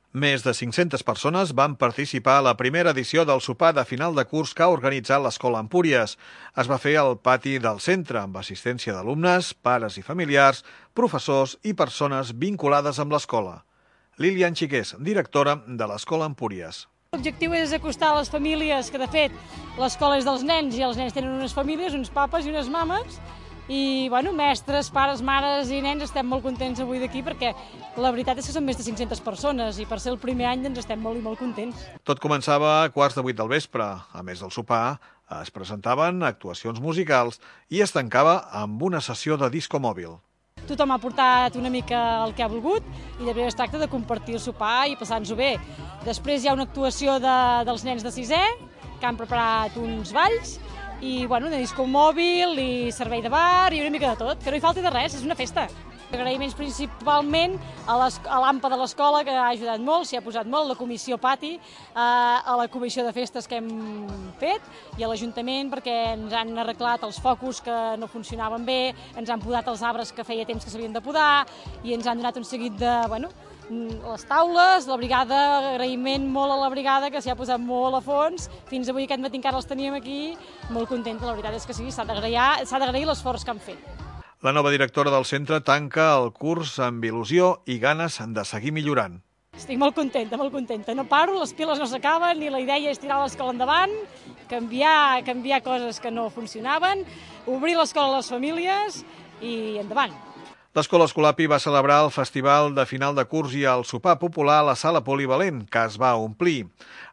Més de 500 persones van participar a la primera edició del sopar de final de curs que ha organitzat l'Escola Empúries. Es va fer al pati del centre, amb assistència d'alumnes, pares i familiars, professors i persones vinculades amb l'escola. Lilian Xiqués, directora de l'Escola Empúries. L'objectiu és acostar a les famílies, que de fet l'escola és dels nens i els nens tenen unes famílies, uns papes i unes mames, i mestres, pares, mares i nens estem molt contents avui d'aquí perquè la veritat és que són més de 500 persones i per ser el primer any doncs estem molt i molt contents. Tot començava a 7:15 del vespre. A més del sopar, es presentaven actuacions musicals i es tancava amb una sessió de disco mòbil. Tothom ha portat una mica el que ha volgut i de veritat es tracta de compartir el sopar i passar-nos-ho bé. Després hi ha una actuació dels nens de sisè que han preparat uns balls i de disco mòbil i servei de bar i una mica de tot, que no hi falti de res, és una festa. Agraïments principalment a l'AMPA de l'escola, que ha ajudat molt, s'hi ha posat molt, la comissió pati, a la comissió de festes que hem fet i a l'Ajuntament perquè ens han arreglat els focus que no funcionaven bé, ens han podat els arbres que feia temps que s'havien de podar i ens han donat un seguit de, les taules, la brigada, agraïment molt a la brigada que s'hi ha posat molt a fons, fins avui aquest matí encara els teníem aquí, molt contenta, la veritat és que sí, s'ha d'agrair l'esforç que han fet. La nova directora del centre tanca el curs amb il·lusió i ganes de seguir millorant. Estic molt contenta, no paro, les piles no s'acaben i la idea és tirar l'escola endavant, canviar coses que no funcionaven, obrir l'escola a les famílies i endavant. L'Escola Escolapi va celebrar el festival de final de curs i el sopar popular a la sala polivalent, que es va omplir.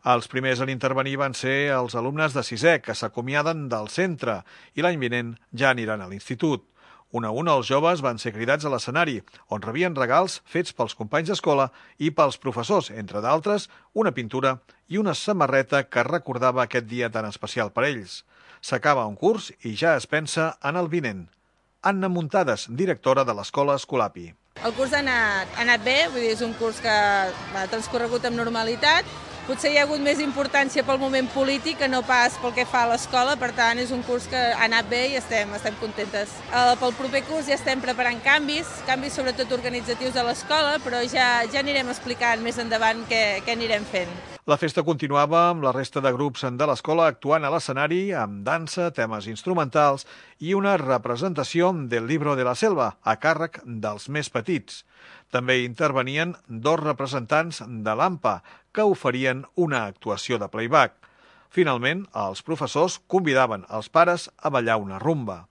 Els primers en intervenir van ser els alumnes de sisè, que s'acomiaden del centre i l'any vinent ja aniran a l'institut. Un a un els joves van ser cridats a l'escenari, on rebien regals fets pels companys d'escola i pels professors, entre d'altres, una pintura i una samarreta que recordava aquest dia tan especial per ells. S'acaba un curs i ja es pensa en el vinent. Anna Muntades, directora de l'Escola Escolapi. El curs ha anat bé, vull dir, és un curs que ha transcorregut amb normalitat. Potser hi ha hagut més importància pel moment polític que no pas pel que fa a l'escola, per tant és un curs que ha anat bé i estem contentes. Pel proper curs ja estem preparant canvis sobretot organitzatius a l'escola, però ja anirem explicant més endavant què anirem fent. La festa continuava amb la resta de grups de l'escola actuant a l'escenari amb dansa, temes instrumentals i una representació del Libro de la Selva a càrrec dels més petits. També intervenien 2 representants de l'AMPA que oferien una actuació de playback. Finalment, els professors convidaven els pares a ballar una rumba.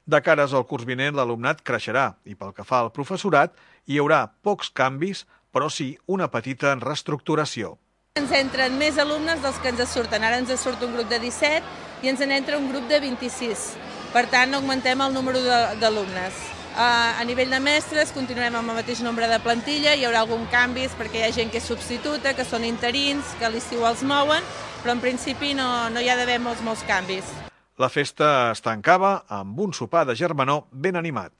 De cares al curs vinent, l'alumnat creixerà i pel que fa al professorat hi haurà pocs canvis, però sí una petita reestructuració. Ens entren més alumnes dels que ens surten. Ara ens surt un grup de 17 i ens n'entra un grup de 26. Per tant, augmentem el número d'alumnes. A nivell de mestres continuem amb el mateix nombre de plantilla, hi haurà algun canvis perquè hi ha gent que és substituta, que són interins, que a l'estiu els mouen, però en principi no hi ha d'haver molts canvis. La festa es tancava amb un sopar de germanor ben animat.